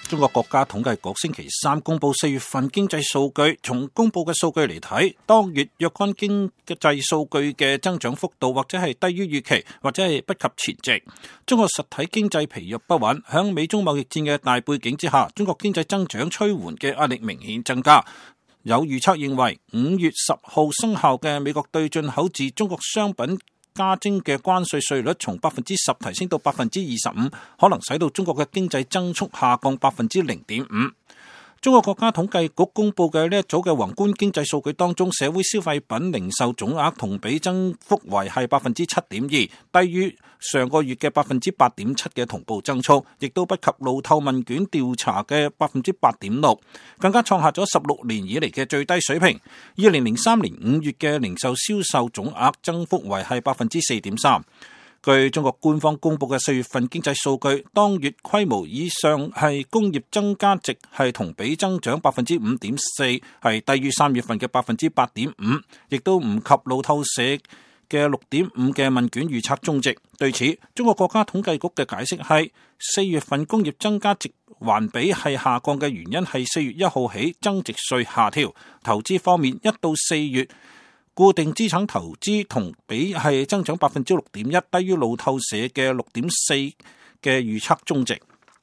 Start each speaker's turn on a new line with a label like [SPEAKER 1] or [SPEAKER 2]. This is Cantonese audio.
[SPEAKER 1] 中國國家統計局星期三公布4月份經濟數據，從公布嘅數據嚟睇，當月若干經濟數據嘅增長幅度或者係低於預期，或者係不及前值。中國實體經濟疲弱不穩，響美中貿易戰嘅大背景之下，中國經濟增長趨緩嘅壓力明顯增加。有預測認為，5月10號生效嘅美國對進口自中國商品加徵嘅關稅稅率從10%提升到25%，可能使到中國嘅經濟增速下降0.5%。中國國家統計局公布嘅呢一組嘅宏觀經濟數據當中，社會消費品零售總額同比增幅為係7.2%，低於上個月嘅8.7%嘅同步增速，亦都不及路透問卷調查嘅8.6%，更加創下咗16年以嚟嘅最低水平。2003年5月嘅零售銷售總額增幅為係4.3%。據中國官方公布嘅4月份經濟數據，當月規模以上係工業增加值係同比增長5.4%，係低於3月份嘅8.5%，亦都唔及路透社嘅6.5嘅問卷預測中值。對此，中國國家統計局嘅解釋係4月份工業增加值環比係下降嘅原因係4月1號起增值稅下調。投資方面，1到4月固定資產投資同比係增長6.1%，低於路透社嘅6.4嘅預測中值。